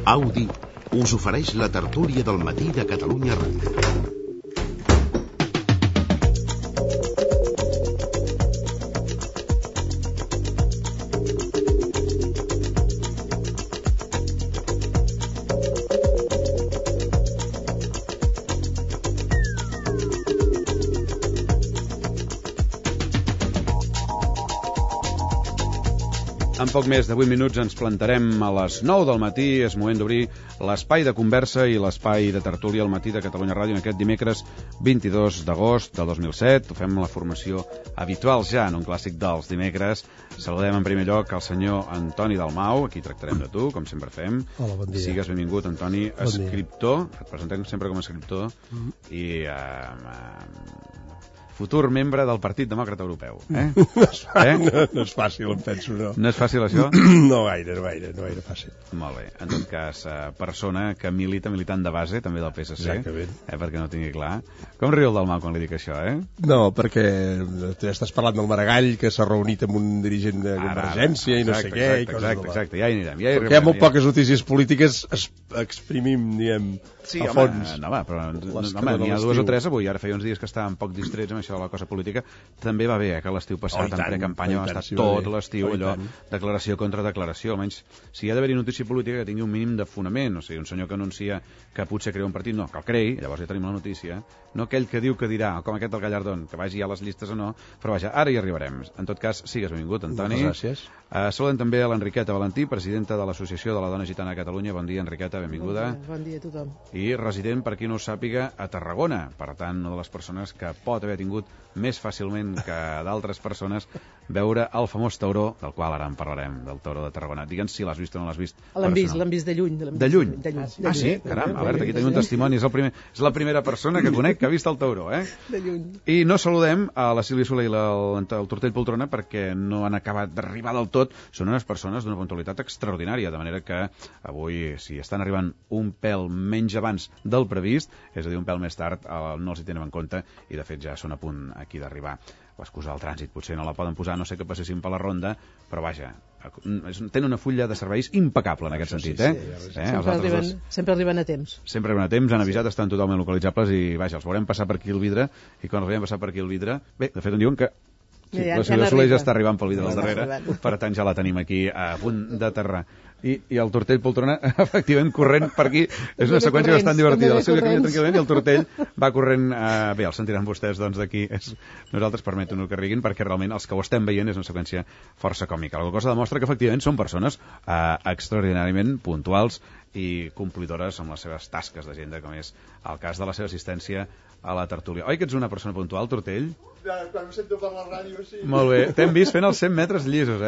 Audi us ofereix la tertúlia del matí de Catalunya Ràdio. En poc més de 8 minuts ens plantarem a les 9 del matí. És moment d'obrir l'espai de conversa i l'espai de tertúlia al matí de Catalunya Ràdio en aquest dimecres 22 d'agost del 2007. Ho fem la formació habitual ja en un clàssic dels dimecres. Saludem en primer lloc al senyor Antoni Dalmau. Aquí tractarem de tu, com sempre fem. Hola, bon dia. Sigues benvingut, Antoni. Bon escriptor, et presentem sempre com a escriptor i futur membre del Partit Demòcrata Europeu. No és fàcil, em penso, no. No és fàcil, això? No gaire fàcil. Molt bé. En tot cas, persona que militant de base, també del PSC. Exactament. Perquè no ho tingui clar. Com riu el Dalmau quan li dic això, No, perquè estàs parlant del Maragall, que s'ha reunit amb un dirigent de Convergència i no sé què. Exacte, ja hi anirem. Perquè hi ha molt poques notícies polítiques, exprimim, diguem, a fons. Però n'hi ha dues o tres avui. Ara feia uns dies que estàvem poc distrets amb això de la cosa política. També va bé, que l'estiu passat en precampanya va estar tot l'estiu allò, declaració contra declaració. Almenys, si hi ha d'haver-hi notícia política que tingui un mínim de fonament, o sigui, un senyor que anuncia que potser crea un partit, no, que el creï, llavors ja tenim la notícia, no aquell que diu que dirà, com aquest del Gallardón, que vagi a les llistes o no, però vaja, ara hi arribarem. En tot cas, sigues benvingut, Antoni. Moltes gràcies. Saludem també a l'Enriqueta Valentí, presidenta de l'Associació de la Dona Gitana a Catalunya. Bon dia, Enriqueta, benvinguda. Bon dia a tothom. I resident, per qui no ho sàpiga, a Tarragona. Per tant, una de les persones que pot haver tingut més fàcilment que d'altres persones veure el famós tauró, del qual ara en parlarem, del tauró de Tarragona. Digue'ns si l'has vist o no l'has vist. L'hem vist de lluny. De lluny? Ah, sí? Caram, a veure, aquí tenim un testimoni. És la primera persona que conec que ha vist el tauró, De lluny. I no saludem a la Sílvia Soler i el Tortell Poltrona perquè no han acabat d'arribar del tot. Són unes persones d'una puntualitat extraordinària, de manera que avui, si estan arribant un pèl menys abans del previst, és a dir, un pèl més tard, no els hi tenen en compte i, de fet, ja són a punt aquí d'arribar. L'excusa del trànsit potser no la poden posar, no sé que passessin per la ronda, però vaja, tenen una fulla de serveis impecable en aquest sentit, Sempre arriben a temps. Sempre arriben a temps, han avisat, estan totalment localitzables i, vaja, els veurem passar per aquí el vidre, i quan els veiem passar per aquí el vidre, bé, de fet, em diuen que sí, la Sílvia Soler ja està arribant pel vidre del darrere, per tant ja la tenim aquí a punt d'aterrar. I el Tortell Poltrona, efectivament, corrent per aquí. És una seqüència bastant divertida. La Sílvia camina tranquil·lament i el Tortell va corrent... Bé, el sentiran vostès, doncs, d'aquí. Nosaltres permetem-ho que riguin, perquè realment els que ho estem veient és una seqüència força còmica. La cosa demostra que, efectivament, són persones extraordinàriament puntuals i complidores amb les seves tasques d'agenda, com és el cas de la seva assistència a la tertúlia. Oi que ets una persona puntual, Tortell? Quan em sento per la ràdio, sí. Molt bé. T'hem vist fent els 100 metres llisos,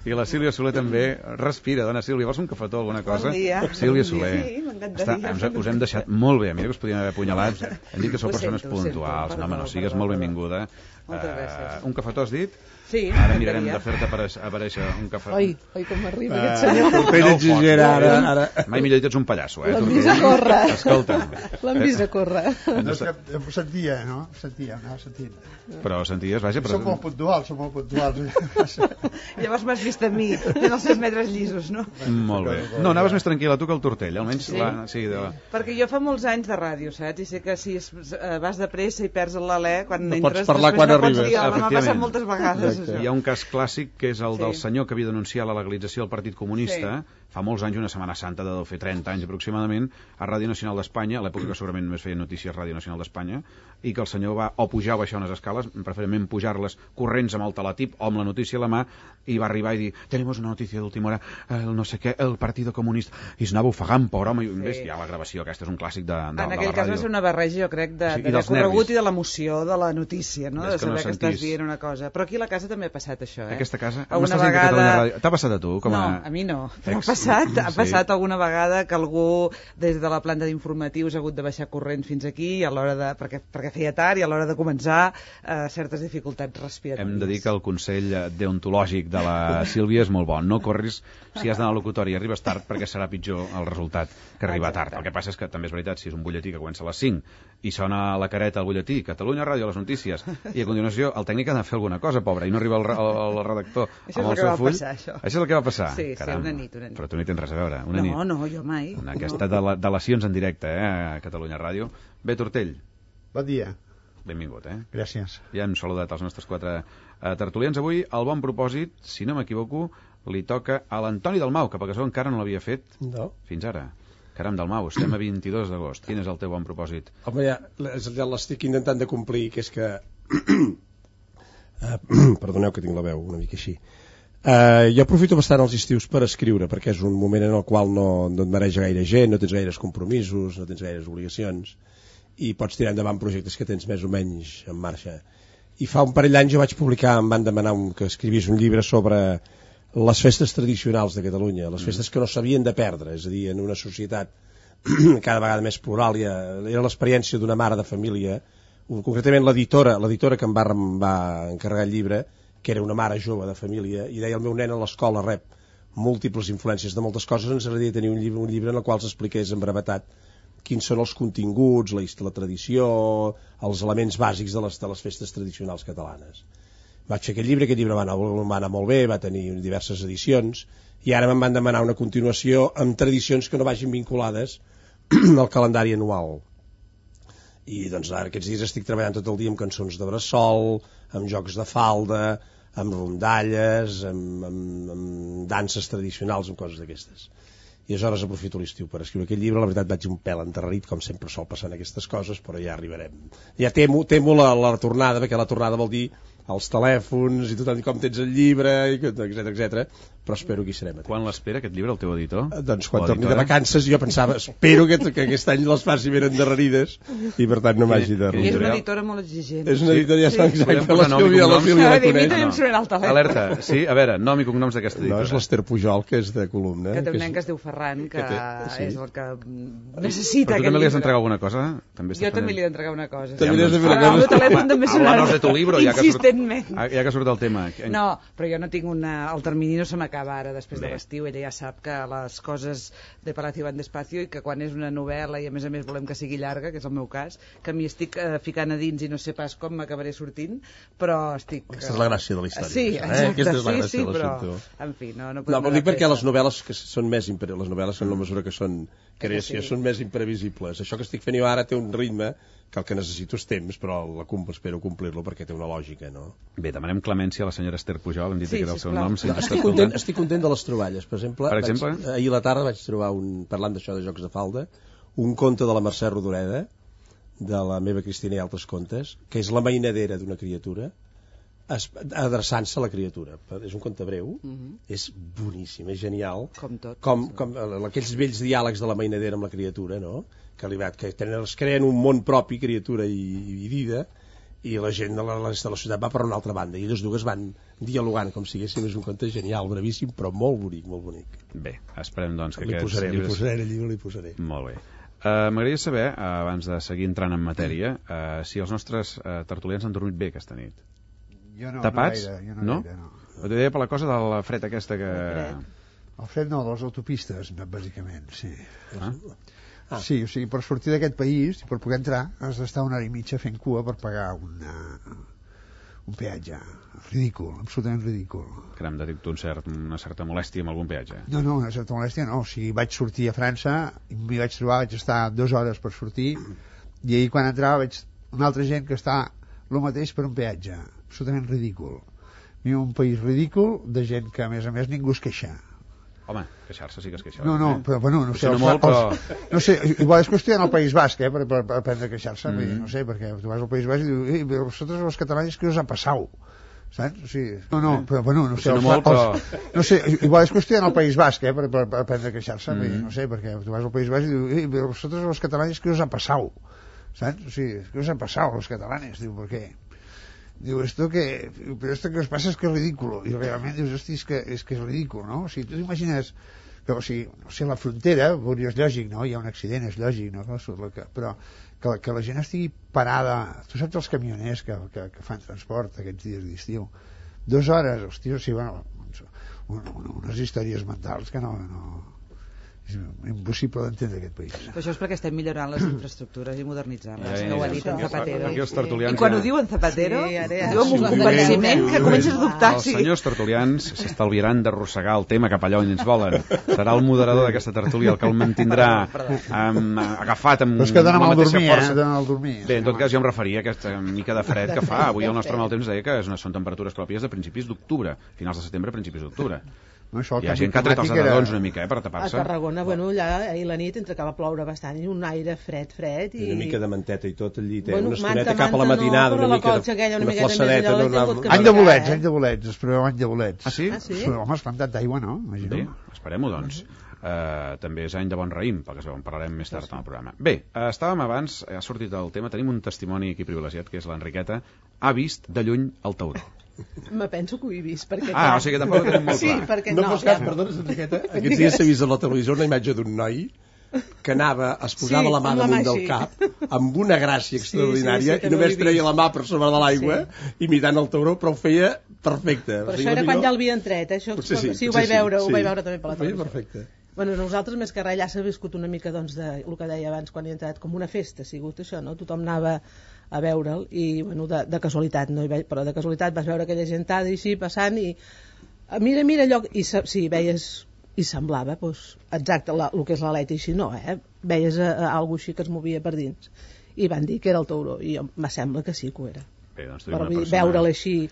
I la Sílvia Soler també. Respira, dona Sílvia. Vols un cafetó, alguna cosa? Bon dia. Sílvia Soler. Sí, m'encantaria. Us hem deixat molt bé. Mira que us podíem haver apunyalat. Hem dit que sou persones puntuals. No, sigues molt benvinguda. Moltes gràcies. Un cafetó, has dit? Sí. Ara mirarem de fer-te aparèixer un cafè. Oi, com m'arriba aquest senyor. Tortell exigera, ara. Mai millor dit, ets un pallasso, L'hem vist a córrer. Escolta'm. L'hem vist a córrer. No, és que ho sentia, no? Anava sentint. Però senties, vaja... Som molt puntuals. Llavors m'has vist a mi, fent els 100 metres llisos, no? Molt bé. No, anaves més tranquil·la tu que el Tortell, almenys... Sí? Perquè jo fa molts anys de ràdio, saps? I sé que si vas de pressa i perds l'alè, quan entres... No pots parlar quan arribes. M'ha passat moltes vegades. Hi ha un cas clàssic que és el del senyor que havia denunciat la legalització del Partit Comunista fa molts anys, una Setmana Santa de deu fer 30 anys aproximadament, a Ràdio Nacional d'Espanya, a l'època que segurament només feia notícies Ràdio Nacional d'Espanya, i que el senyor va o pujar o baixar unes escales, preferentment pujar-les corrents amb el teletip o amb la notícia a la mà, i va arribar i dir, tenemos una notícia d'última hora, el no sé què, el Partido Comunista, i es anava ofegant, pobre home, i ja la gravació, aquesta és un clàssic de la ràdio. En aquell cas va ser una barreja, jo crec, de corregut i de l'emoció de la notícia, no? De saber que estàs dient una cosa. Però aquí a la casa també ha passat això, Aquesta casa? Una vegada... T'ha passat a tu? No, a mi no. Però ha passat alguna vegada que algú des de la planta d'informatius ha hagut de baixar corrents fins aquí a l'hora de... perquè feia tard i a l'hora de començar certes dificultats respiratòries. Hem de dir que el consell deontològic de la Sílvia és molt bon. No corris si has d'anar al locutori i arribes tard perquè serà pitjor el resultat que arribar tard. El que passa és que també és veritat, si és un butlletí que comença a les 5 i sona la careta al butlletí, Catalunya Ràdio, les notícies, i a continuació el tècnic ha de fer alguna cosa, pobre, i no arriba el redactor amb el seu full. Això és el que va passar. Sí, una nit. Però però tu no hi tens res a veure. Una nit. No, jo mai. Aquesta delacions en directe, a Catalunya Ràdio. Bé, Tortell. Bon dia. Benvingut, Gràcies. Ja hem saludat els nostres 4 tertulians. Avui, el bon propòsit, si no m'equivoco, li toca a l'Antoni Dalmau, que per això encara no l'havia fet fins ara. Caram, Dalmau, estem a 22 d'agost. Quin és el teu bon propòsit? Home, ja l'estic intentant de complir, que és que... Perdoneu que tinc la veu una mica així. Jo aprofito bastant els estius per escriure, perquè és un moment en el qual no et mereix gaire gent, no tens gaires compromisos, no tens gaires obligacions, i pots tirar endavant projectes que tens més o menys en marxa. I fa un parell d'anys jo vaig publicar, em van demanar que escrivís un llibre sobre les festes tradicionals de Catalunya, les festes que no s'havien de perdre, és a dir, en una societat cada vegada més plural. Era l'experiència d'una mare de família, concretament l'editora que em va encarregar el llibre, que era una mare jove de família, i deia: el meu nen a l'escola rep múltiples influències de moltes coses, ens agradaria tenir un llibre en el qual s'expliqués en brevetat quins són els continguts, la tradició, els elements bàsics de les festes tradicionals catalanes. Vaig fer aquest llibre va anar molt bé, va tenir diverses edicions, i ara me'n van demanar una continuació amb tradicions que no vagin vinculades al calendari anual. I doncs ara aquests dies estic treballant tot el dia amb cançons de bressol, amb jocs de falda, amb rondalles, amb danses tradicionals, amb coses d'aquestes. I aleshores aprofito l'estiu per escriure aquest llibre. La veritat, vaig un pèl enterrit, com sempre sol passar en aquestes coses, però ja arribarem. Ja temo la tornada, perquè la tornada vol dir els telèfons i tothom com tens el llibre, etc. Però espero que hi serem. Quan l'espera aquest llibre, el teu editor? Doncs quan torni de vacances. Jo pensava, espero que aquest any les faci ben endarrerides i per tant no m'hagi de... I és una editora molt exigent. És una editora, ja està exacte, la Sílvia la coneix. Alerta, sí, a veure, nom i cognoms d'aquesta editora. No, és l'Ester Pujol, que és de columna. Que té un nen que es diu Ferran, que és el que necessita. Però tu també li has d'entregar alguna cosa? Jo també li he d'entregar una cosa. També li has de fer una cosa. El telèfon també sonarà. Háblanos de tu libro, insistentment. Ja que surt el tema. No, però jo no tinc el termini no se m'acaba ara després de l'estiu. Ella ja sap que les coses de Palacio van despacio i que quan és una novel·la i a més volem que sigui llarga, que és el meu cas, que m'hi estic ficant a dins i no sé pas com m'acabaré sortint, però estic... Aquesta és la gràcia de la història. Sí, exacte, sí, però en fi, no podem... No, vol dir perquè les novel·les que són més... Les novel·les són la mesura que són creació, són més imprevisibles. Això que estic fent jo ara té un ritme que el que necessito és temps, però espero complir-lo perquè té una lògica, no? Bé, demanem clemència a la senyora Ester Pujol, hem dit que era el seu nom. Estic content de les troballes. Per exemple, ahir a la tarda vaig trobar, parlant d'això de jocs de falda, un conte de la Mercè Rodoreda, de la meva Cristina i altres contes, que és la mainadera d'una criatura, adreçant-se a la criatura. És un conte breu, és boníssim, és genial. Com tot. Com aquells vells diàlegs de la mainadera amb la criatura, no? Que es creen un món propi, criatura i vida, i la gent de la ciutat va per una altra banda, i les dues van dialogant com si haguéssim. És un conte genial, brevíssim, però molt bonic, molt bonic. Bé, esperem doncs que aquests llibres... Li posaré. Molt bé. M'agradaria saber, abans de seguir entrant en matèria, si els nostres tertulians han dormit bé aquesta nit. Jo no, tapats? No? Ho deia per la cosa de la fred aquesta que... El fred no, de les autopistes, bàsicament, sí. Sí, o sigui, per sortir d'aquest país, per poder entrar, has d'estar una hora i mitja fent cua per pagar un peatge. Ridícul, absolutament ridícul. Caram, detecto una certa molèstia amb algun peatge. No, una certa molèstia no. O sigui, vaig sortir a França, i m'hi vaig trobar, vaig estar 2 hores per sortir, i ahir quan entrava veig una altra gent que està el mateix per un peatge. Absolutament ridícul. Viu un país ridícul de gent que, a més, ningú es queixa. Home, queixar-se sí que es queixar. No, però bueno, no sé. No sé, igual és qüestió d'anar al País Basc, per aprendre a queixar-se. No sé, perquè tu vas al País Basc i dius, vosaltres los catalans, què us ha passat? Saps? O sigui, però bueno, no sé. No sé, igual és qüestió d'anar al País Basc, per aprendre a queixar-se. No sé, perquè tu vas al País Basc i dius, vosaltres los catalans, què us ha passat? Saps? O sigui, què us ha passat, los catalanes? Diu, per què? Diu, esto que os pasa es que es ridículo. I realment dius, hosti, és que és ridícul, no? O sigui, tu t'imagines que, o sigui, no sé, la frontera, és lògic, no? Hi ha un accident, és lògic, no? Però que la gent estigui parada... Tu saps els camioners que fan transport aquests dies d'estiu? 2 hores, hosti, o sigui, bueno, unes històries mentals que no... És impossible d'entendre aquest país. Però això és perquè estem millorant les infraestructures i modernitzant-les, que ho ha dit en Zapatero. Aquí els tertulians I quan ho diu en Zapatero, ho diu amb un convenciment que comences a dubtar. Els senyors tertulians s'estalviaran d'arrossegar el tema cap allà on ens volen. Serà el moderador d'aquesta tertúlia el que el mantindrà agafat amb la mateixa força. Dona al dormir. Bé, en tot cas jo em referia a aquesta mica de fred que fa. Avui el nostre mal temps deia que són temperatures pròpies de principis d'octubre, finals de setembre, principis d'octubre. No, hi ha gent que ha tret els edredons una mica per tapar-se. A Tarragona, allà ahir la nit entre que va ploure bastant i un aire fred i una mica de manteta i tot al llit, una estoneta cap a la matinada, una mica de flassadeta. Any de bolets, es preveu any de bolets. Ah, sí? Home, es plantat d'aigua, no? Bé, esperem-ho, doncs. També és any de bon raïm, pel que es veu, en parlarem més tard en el programa. Bé, estàvem abans, ha sortit el tema, tenim un testimoni aquí privilegiat, que és l'Enriqueta, ha vist de lluny el tauró. Me penso que ho he vist, perquè... O sigui que tampoc ho tenim molt clar. Sí, perquè no. Fos cas, perdona, Enriqueta, aquests dies s'ha vist a la televisió una imatge d'un noi que es posava la mà damunt del cap amb una gràcia extraordinària i només treia la mà per sobre de l'aigua imitant el tauró, però ho feia perfecte. Però això era quan ja l'havien tret, això sí, ho vaig veure també per la televisió. Perfecte. Bueno, nosaltres més que res ja s'ha viscut una mica doncs, de el que deia abans quan he entrat, com una festa ha sigut això, no? Tothom anava a veure'l i bueno, de casualitat, no? Però de casualitat vas veure aquella gentada i així passant i mira allò i sí, veies i semblava doncs, exacte el que és l'aleta i així no, veies algú així que es movia per dins i van dir que era el tauró i me sembla que sí que ho era. Bé, doncs però veure'l així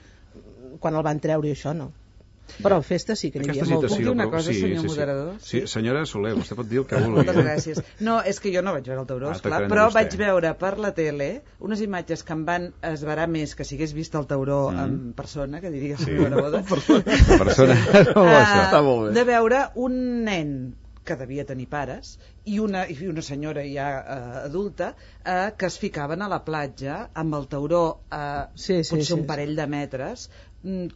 quan el van treure i això no. Però festa sí que n'hi havia molt. Puc dir una cosa, senyor moderador? Sí, senyora Soler, vostè pot dir el que vulgui. Moltes gràcies. No, és que jo no vaig veure el tauró, esclar, però vaig veure per la tele unes imatges que em van esverar més que si hagués vist el tauró en persona, que diria la senyora Boda. De veure un nen que devia tenir pares i una senyora ja adulta que es ficaven a la platja amb el tauró potser un parell de metres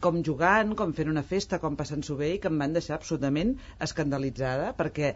com jugant, com fent una festa, com passant-s'ho bé, i que em van deixar absolutament escandalitzada, perquè,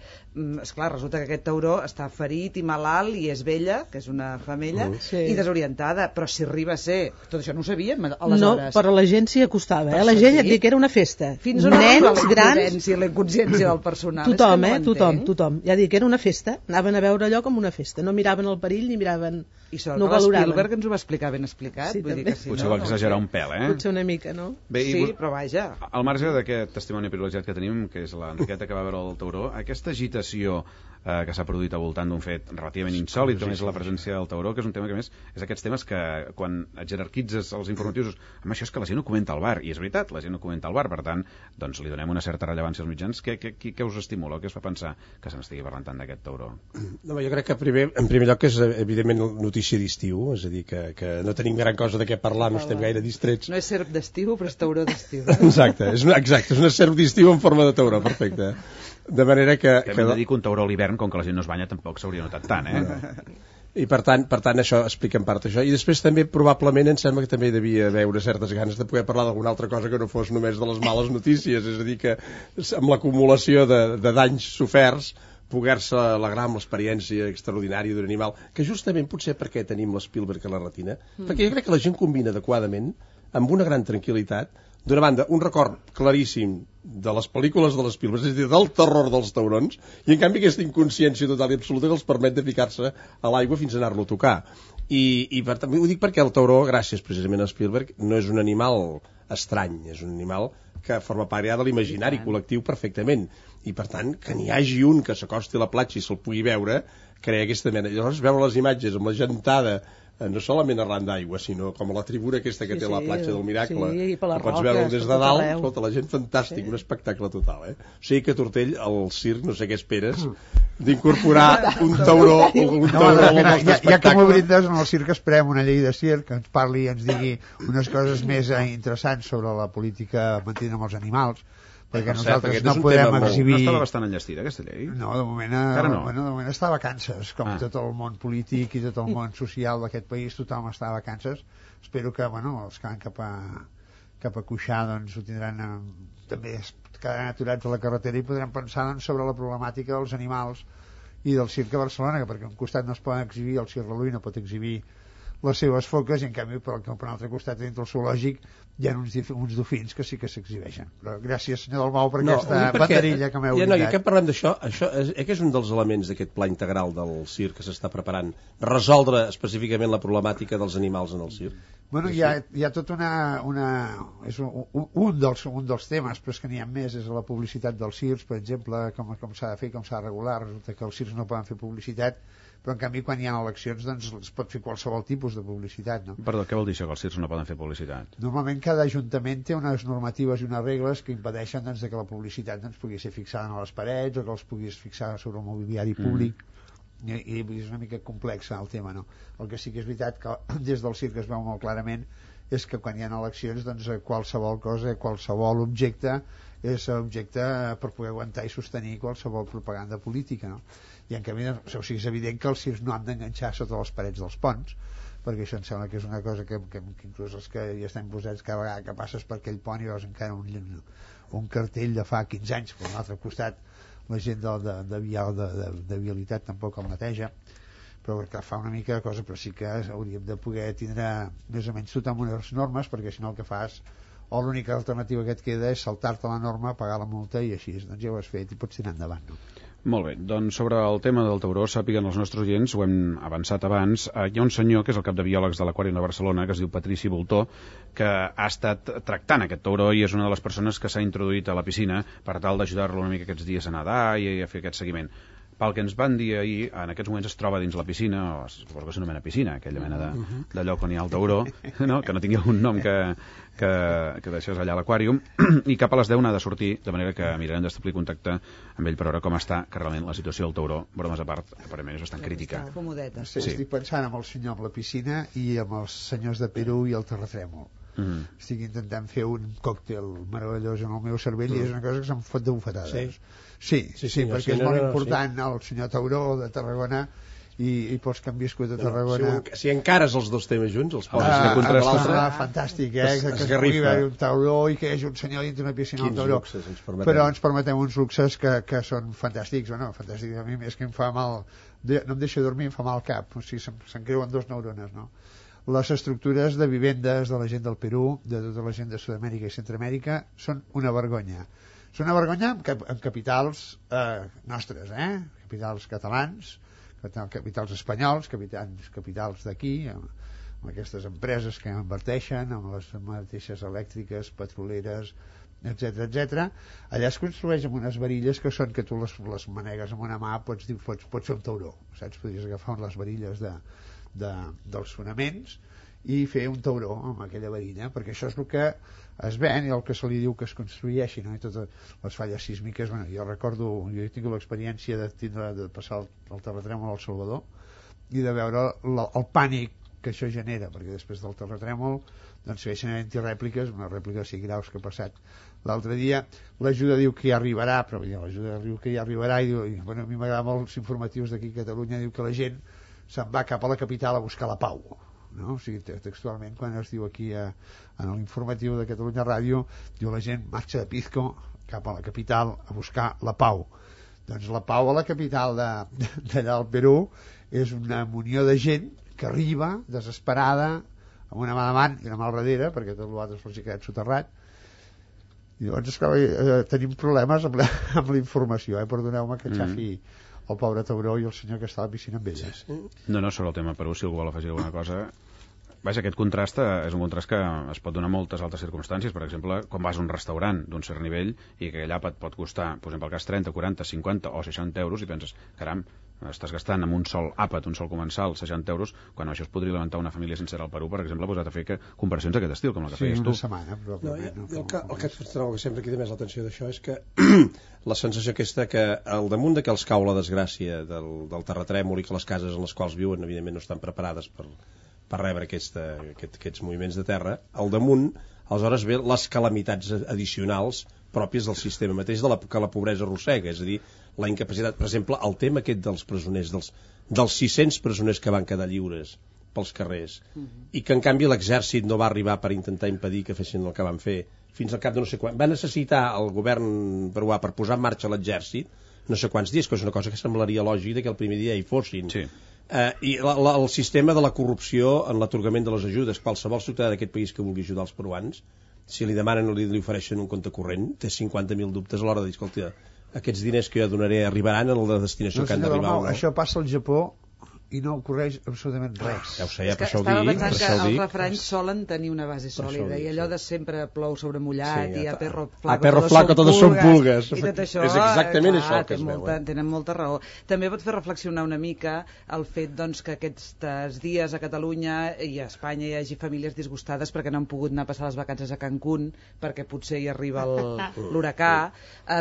esclar, resulta que aquest tauró està ferit i malalt i és vella, que és una femella, i desorientada, però si arriba a ser... Tot això no ho sabíem, aleshores. No, però la gent s'hi acostava, la gent et diu que era una festa. Fins on arriba la inconsciència del personal? Tothom. Ja dic que era una festa, anaven a veure allò com una festa, no miraven el perill ni miraven... I sort que l'Spielberg ens ho va explicar ben explicat. Sí, vull dir que si potser va exagerar un pèl, Potser una mica, no? Bé, sí, però vaja. Al marge d'aquest testimoni privilegiat que tenim, que és l'Enriqueta que va veure el tauró, aquesta agitació que s'ha produït al voltant d'un fet relativament insòlit, com és la presència del tauró, que és un tema que més és aquests temes que quan et jerarquitzes els informatius, amb això és que la gent ho comenta al bar, i és veritat, la gent ho comenta al bar, per tant, doncs li donem una certa rellevància als mitjans. Què us estimula, què us fa pensar que se n'estigui parlant tant d'aquest tauró? No, jo crec que en primer lloc és evidentment notícia d'estiu, és a dir, que no tenim gran cosa de què parlar, no estem gaire distrets. No és serp d'estiu, però és tauró d'estiu. Exacte, és una serp d'estiu en forma de tauró, perfecte. De manera que hem de dir que un tauró a l'hivern, com que la gent no es banya, tampoc s'hauria notat tant, I per tant això explica en part això. I després també probablement em sembla que també devia haver certes ganes de poder parlar d'alguna altra cosa que no fos només de les males notícies, és a dir que amb l'acumulació de danys soferts poder-se alegrar amb l'experiència extraordinària d'un animal, que justament potser perquè tenim l'Spielberg a la retina, perquè jo crec que la gent combina adequadament amb una gran tranquil·litat, d'una banda, un record claríssim de les pel·lícules de l'Spielberg, és a dir, del terror dels taurons, i en canvi aquesta inconsciència total i absoluta que els permet de ficar-se a l'aigua fins a anar-lo a tocar. I per tant, ho dic perquè el tauró, gràcies precisament a Spielberg, no és un animal estrany, és un animal que forma part ja de l'imaginari col·lectiu perfectament, i per tant que n'hi hagi un que s'acosti a la platja i se'l pugui veure, crea aquesta mena. Llavors veure les imatges amb la gentada no solament arran d'aigua, sinó com a la tribuna aquesta que té la platja del Miracle, que pots veure des de dalt, escolta, la gent fantàstic, un espectacle total, O sigui que Tortell, al circ, no sé què esperes, d'incorporar un tauró ja que m'ho brindes, en el circ esperem una llei de circ que ens parli i ens digui unes coses més interessants sobre la política mantenint amb els animals, perquè nosaltres no podem exhibir... No estava bastant enllestida, aquesta llei? No, de moment està a vacances, com tot el món polític i tot el món social d'aquest país, tothom està a vacances. Espero que, els que van cap a Cuixà, doncs, ho tindran... També quedaran aturats a la carretera i podran pensar sobre la problemàtica dels animals i del circ a Barcelona, perquè a un costat no es poden exhibir, el circ Reluí no pot exhibir les seves foques, i en canvi per un altre costat dintre el zoològic hi ha uns dofins que sí que s'exhibeixen. Però gràcies, senyor Dalmau, per aquesta banderilla que m'heu dit. Ja que parlem d'això, això és un dels elements d'aquest pla integral del circ que s'està preparant, resoldre específicament la problemàtica dels animals en el circ. Bueno, hi ha tot és un dels temes, però és que n'hi ha més, és la publicitat dels circs, per exemple, com s'ha de fer, com s'ha de regular. Resulta que els circs no poden fer publicitat, però en canvi quan hi ha eleccions doncs es pot fer qualsevol tipus de publicitat, no? Perdó, què vol dir això, que els circs no poden fer publicitat? Normalment cada ajuntament té unes normatives i unes regles que impedeixen doncs, que la publicitat pugui ser fixada a les parets o que els puguis fixar sobre el mobiliari públic. I és una mica complex el tema, no? El que sí que és veritat que des del circ es veu molt clarament és que quan hi ha eleccions doncs qualsevol cosa, qualsevol objecte és objecte per poder aguantar i sostenir qualsevol propaganda política, no? I en canvi, o sigui, és evident que els circs no han d'enganxar sota les parets dels ponts, perquè això em sembla que és una cosa que inclús els que hi estem posats cada vegada que passes per aquell pont i veus encara un cartell de fa 15 anys, per l'altre costat la gent de vialitat tampoc el neteja, però que fa una mica de cosa, però sí que hauríem de poder tindre més o menys tot amb unes normes, perquè si no el que fas o l'única alternativa que et queda és saltar-te la norma, pagar la multa i així, doncs ja ho has fet i pots tirar endavant, no? Molt bé, doncs sobre el tema del tauró, sàpiguen els nostres oients, ho hem avançat abans, hi ha un senyor que és el cap de biòlegs de l'Aquàrium de Barcelona, que es diu Patrici Voltó, que ha estat tractant aquest tauró i és una de les persones que s'ha introduït a la piscina per tal d'ajudar-lo una mica aquests dies a nedar i a fer aquest seguiment. Pel que ens van dir ahir, en aquests moments es troba dins la piscina, o suposo que s'anomena piscina, aquella mena de lloc on hi ha el tauró, no? Que no tingui algun nom que deixés allà a l'Aquàrium, i cap a les 10 n'ha de sortir, de manera que mirarem d'establir contacte amb ell per veure com està, que realment la situació del tauró, bromes a part, aparentment és bastant crítica. Sí. Estic pensant amb el senyor amb la piscina i amb els senyors de Perú i el terratrèmol. Estic intentant fer un còctel meravellós en el meu cervell i és una cosa que se'm fot de bufetades. Sí, perquè és molt important el senyor Tauró de Tarragona i pels que han viscut a Tarragona. Si encares els dos temes junts, els poses fantàstic, que es pugui haver un tauró i que hi hagi un senyor dintre una piscina al tauró. Però ens permetem uns luxes que són fantàstics. Bueno, fantàstics a mi és que em fa mal, no em deixa dormir, em fa mal al cap, o sigui, se'n creuen dos neurones, no? Les estructures de vivendes de la gent del Perú, de tota la gent de Sud-amèrica i Centroamèrica, són una vergonya. Són una vergonya amb capitals nostres, capitals catalans, capitals espanyols, capitals d'aquí, amb aquestes empreses que inverteixen, amb les mateixes elèctriques, petroleres, etc. Allà es construeix amb unes varilles que són que tu les manegues amb una mà, pots fer un tauró, saps? Podries agafar les varilles dels fonaments i fer un tauró amb aquella varilla, perquè això és el que es ven i el que se li diu que es construeixi, no? I totes les falles sísmiques, bueno, jo he tingut l'experiència de passar el terratrèmol al Salvador i de veure el pànic que això genera, perquè després del terratrèmol doncs segueixen havent-hi rèpliques, una rèplica de 5 graus que ha passat l'altre dia. L'ajuda diu que ja arribarà, però l'ajuda diu que ja arribarà i diu, bueno, a mi m'agrada molt els informatius d'aquí a Catalunya, diu que la gent se'n va cap a la capital a buscar la pau, no? O sigui, textualment quan es diu aquí en l'informatiu de Catalunya Ràdio, diu la gent marxa de Pizco cap a la capital a buscar la pau. Doncs la pau a la capital d'allà al Perú és una munió de gent que arriba desesperada amb una mà davant i una mà al darrere perquè tot l'altre s'ha quedat soterrat i llavors esclar, tenim problemes amb la informació, perdoneu-me que xafi el pobre tauró i el senyor que està a la piscina amb elles. No, sobre el tema Perú, si algú vol afegir alguna cosa. Vaja, aquest contrast és un contrast que es pot donar en moltes altres circumstàncies. Per exemple, quan vas a un restaurant d'un cert nivell i que allà et pot costar, per exemple, el cas 30, 40, 50 o 60 euros i penses, caram, estàs gastant amb un sol àpat, un sol comensal, 60 euros, quan això es podria alimentar una família sencera al Perú, per exemple, posat a fer comparacions d'aquest estil, com la que feies tu. Sí, una setmana, probablement. El que sempre crida més l'atenció d'això és que la sensació aquesta que al damunt de que els cau la desgràcia del terratrèmol i que les cases en les quals viuen, evidentment, no estan preparades per rebre aquests moviments de terra, al damunt, aleshores ve les calamitats addicionals pròpies del sistema mateix que la pobresa arrossega, és a dir, la incapacitat, per exemple, el tema aquest dels presoners, dels 600 presoners que van quedar lliures pels carrers, i que en canvi l'exèrcit no va arribar per intentar impedir que fessin el que van fer, fins al cap de no sé quan, va necessitar el govern peruà per posar en marxa l'exèrcit no sé quants dies, que és una cosa que semblaria lògica que el primer dia hi fossin. Sí. I el sistema de la corrupció en l'atorgament de les ajudes, qualsevol ciutadà d'aquest país que vulgui ajudar els peruans, si li demanen o li ofereixen un compte corrent, té 50.000 dubtes a l'hora de dir, escolta, aquests diners que jo donaré arribaran a la destinació que han d'arribar. Això passa al Japó i no ocorreix absolutament res. Ja ho sé, per això ho dic. Estava pensant que els refranys solen tenir una base sòlida i allò de sempre plou sobre mullat i a perro flaco todos son pulgas i tot això, és exactament això que es veu. Tenen molta raó. També pot fer reflexionar una mica el fet que aquests dies a Catalunya i a Espanya hi hagi famílies disgustades perquè no han pogut anar a passar les vacances a Cancún perquè potser hi arriba l'huracà,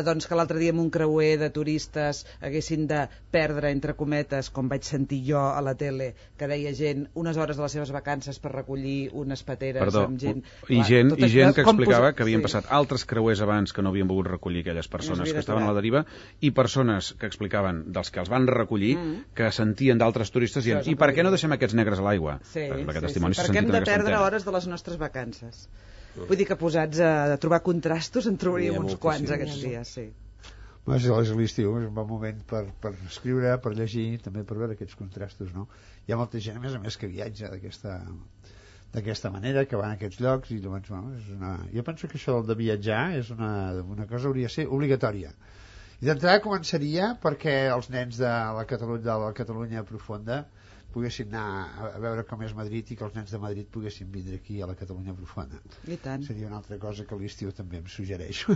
doncs que l'altre dia amb un creuer de turistes haguessin de perdre, entre cometes, com vaig sentir jo a la tele, que deia gent unes hores de les seves vacances per recollir unes pateres amb gent... I gent que explicava que havien passat altres creuers abans que no havien volgut recollir aquelles persones que estaven a la deriva, i persones que explicaven dels que els van recollir que sentien d'altres turistes dient, i per què no deixem aquests negres a l'aigua? Perquè hem de perdre hores de les nostres vacances. Vull dir que posats a trobar contrastos en trobaríem uns quants aquests dies, sí. És l'estiu, és un bon moment per escriure, per llegir, també per veure aquests contrastos, no? Hi ha molta gent, a més que viatja d'aquesta manera, que va a aquests llocs, i llavors, jo penso que això de viatjar és una cosa hauria de ser obligatòria. I d'entrada començaria perquè els nens de la Catalunya profunda poguessin anar a veure com és Madrid i que els nens de Madrid poguessin vindre aquí a la Catalunya profunda. I tant. Seria una altra cosa que l'estiu també em suggereixo.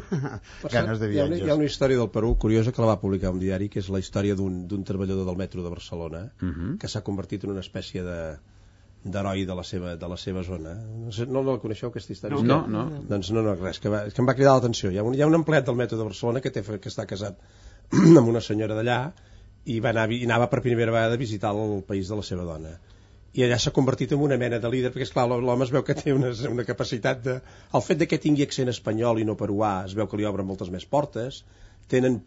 Ganes de viatges. Hi ha una història del Perú curiosa que la va publicar un diari, que és la història d'un treballador del metro de Barcelona que s'ha convertit en una espècie d'heroi de la seva zona. No la coneixeu, aquesta història? No. Doncs no, res, que em va cridar l'atenció. Hi ha un empleat del metro de Barcelona que està casat amb una senyora d'allà i anava per primera vegada a visitar el país de la seva dona. I allà s'ha convertit en una mena de líder, perquè esclar, l'home es veu que té una capacitat de... El fet de que tingui accent espanyol i no peruà es veu que li obren moltes més portes, tenen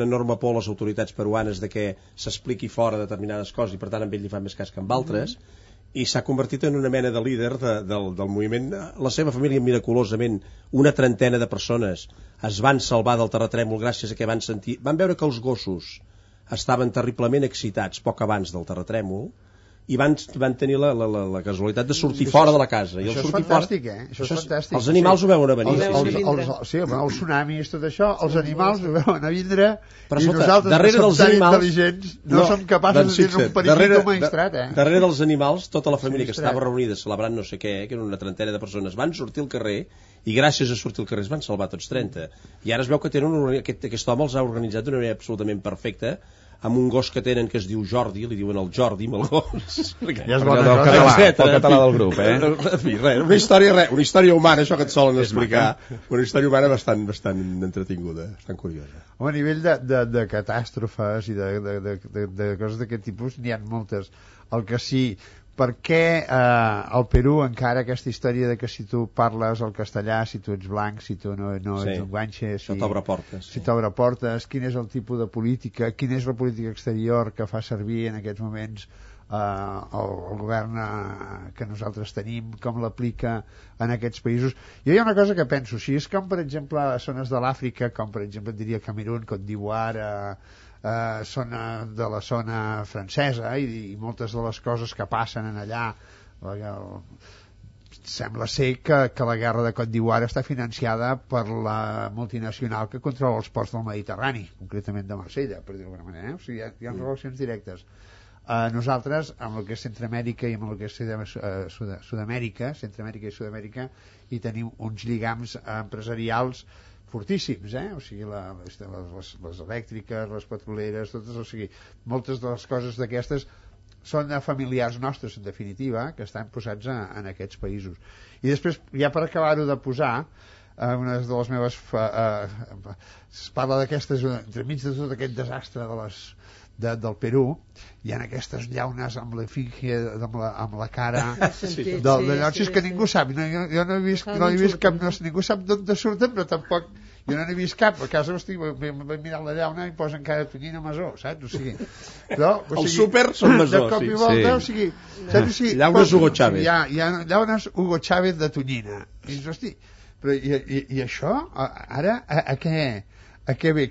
enorme por les autoritats peruanes de que s'expliqui fora determinades coses i per tant amb ell li fa més cas que amb altres, i s'ha convertit en una mena de líder del moviment. La seva família, miraculosament, una trentena de persones es van salvar del terratrèmol gràcies a que van veure que els gossos estaven terriblement excitats poc abans del terratrèmol i van tenir la casualitat de sortir fora de la casa. Això és fantàstic, Això és fantàstic. Els animals ho veuen a venir. Sí, els tsunamis, tot això, els animals ho veuen a vindre i nosaltres, que som tan intel·ligents, no som capaços de dir un periquito maestrat. Darrere dels animals, tota la família que estava reunida celebrant no sé què, que eren una trentena de persones, van sortir al carrer i gràcies a sortir al carrer es van salvar tots 30. I ara es veu que aquest home els ha organitzat d'una manera absolutament perfecta, amb un gos que tenen que es diu Jordi, li diuen el Jordi amb el gos. Ja és bona cosa. El català del grup, En fi, una història humana, això que et solen explicar, una història humana bastant entretinguda, bastant curiosa. A nivell de catàstrofes i de coses d'aquest tipus n'hi ha moltes. El que sí, per què al Perú encara aquesta història de que si tu parles el castellà, si tu ets blanc, si tu no ets un guanxe, si t'obre portes, si t'obre portes, quin és el tipus de política, quina és la política exterior que fa servir en aquests moments el govern que nosaltres tenim, com l'aplica en aquests països. Jo hi ha una cosa que penso, si és com per exemple a zones de l'Àfrica, com per exemple diria Camerún, Côte d'Ivoire, són de la zona francesa i moltes de les coses que passen en allà sembla ser que la guerra de Côte d'Ivoire està financiada per la multinacional que controla els ports del Mediterrani, concretament de Marsella, per dir-ho d'alguna manera, o sigui, hi ha relacions directes. Nosaltres, amb el que és Centroamèrica i amb el que és Sud-amèrica, Centroamèrica i Sud-amèrica, hi tenim uns lligams empresarials fortíssims, o sigui, les elèctriques, les petroleres, totes, o sigui, moltes de les coses d'aquestes són familiars nostres, en definitiva, que estan posats en aquests països. I després, ja per acabar-ho de posar, una de les meves... es parla d'aquestes, entremig de tot aquest desastre del Perú, hi ha aquestes llaunes amb l'efígie, amb la cara d'allò, és que ningú sap, jo no he vist cap, ningú sap d'on surten, però tampoc jo no n'he vist cap, a casa vaig mirar la llauna i posen cara de tonyina masó, saps? O sigui, el súper són masó, de cop i volta, o sigui, saps? Llaunes Hugo Chávez. Hi ha llaunes Hugo Chávez de tonyina. I dius, hosti, però i això, ara, a què a què ve?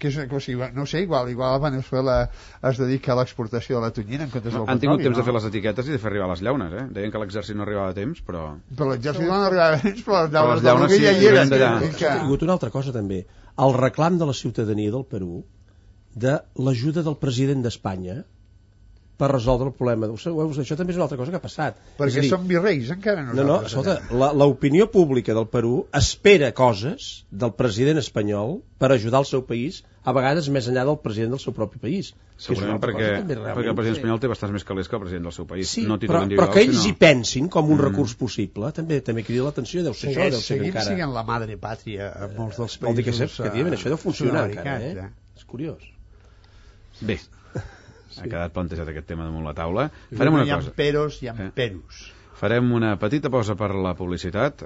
No sé, igual a Venezuela es dedica a l'exportació de la tonyina en comptes del petroli. Han tingut temps de fer les etiquetes i de fer arribar les llaunes, eh? Deien que l'exèrcit no arribava a temps, però... Però l'exèrcit no arribava a temps, però les llaunes sí, ja hi eren. Ha tingut una altra cosa també, el reclam de la ciutadania del Perú de l'ajuda del president d'Espanya per resoldre el problema. Això també és una altra cosa que ha passat. Perquè som virreis encara nosaltres. No, escolta, l'opinió pública del Perú espera coses del president espanyol per ajudar el seu país, a vegades més enllà del president del seu propi país. Segurament perquè el president espanyol té bastants més calés que el president del seu país. Sí, no però que ells hi pensin com un recurs possible també crida l'atenció, deu ser això. Seguim sent la madre pàtria a molts dels països. Vol dir que efectivament això deu funcionar encara, És curiós. Bé, ha quedat plantejat aquest tema damunt la taula. Farem una cosa. Hi ha peros, hi ha peros. Farem una petita pausa per la publicitat,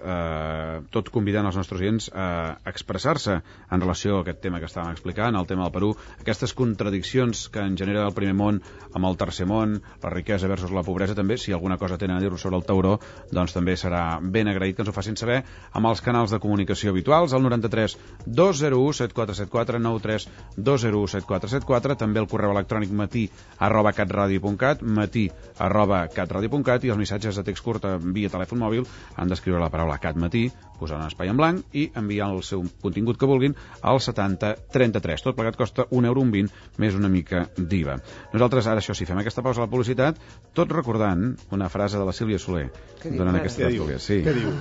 tot convidant els nostres oients a expressar-se en relació a aquest tema que estàvem explicant, el tema del Perú, aquestes contradiccions que en genera el primer món amb el tercer món, la riquesa versus la pobresa també, si alguna cosa tenen a dir-ho sobre el tauró, doncs també serà ben agraït que ens ho facin saber amb els canals de comunicació habituals, el 93 201 7474, 93 201 7474, també el correu electrònic matí@catradio.cat, matí@catradio.cat, i els missatges de text curt via telèfon mòbil han d'escriure la paraula CAT matí, posar un espai en blanc i enviar el seu contingut que vulguin al 7033. Tot plegat costa €1,20 més una mica d'IVA. Nosaltres ara, això sí, fem aquesta pausa a la publicitat, tot recordant una frase de la Sílvia Soler durant aquesta tertúlia. Sí. Què diu?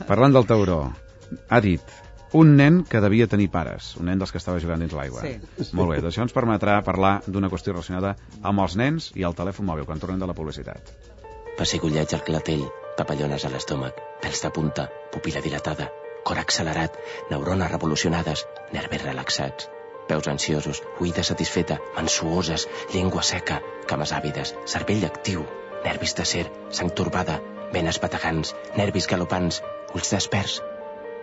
Parlant del tauró, ha dit: un nen que devia tenir pares, un nen dels que estava jugant dins l'aigua. Sí. Molt bé, això ens permetrà parlar d'una qüestió relacionada amb els nens i el telèfon mòbil, quan tornem de la publicitat. Pessigolleig al clatell, papallones a l'estómac, pèls de punta, pupil·la dilatada, cor accelerat, neurones revolucionades, nervis relaxats, peus ansiosos, oïda satisfeta, mans suoses, llengua seca, cames àvides, cervell actiu, nervis d'acer, sang torbada, venes bategants, nervis galopants, ulls desperts.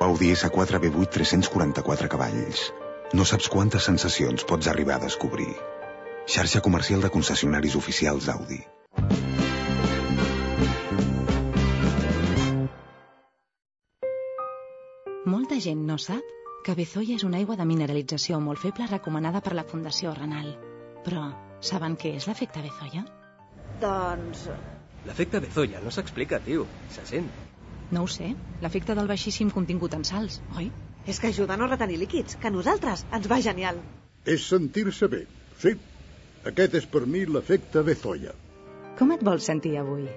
Audi S4 V8 344 cavalls. No saps quantes sensacions pots arribar a descobrir. Xarxa comercial de concessionaris oficials Audi. Molta gent no sap que Bezoya és una aigua de mineralització molt feble recomanada per la Fundació Renal. Però saben què és l'efecte Bezoya? Doncs... L'efecte Bezoya no s'explica, tio. Se sent. No ho sé. L'efecte del baixíssim contingut en sals, oi? És que ajuda a no retenir líquids, que a nosaltres ens va genial. És sentir-se bé, sí. Aquest és per mi l'efecte Bezoya. Com et vols sentir avui?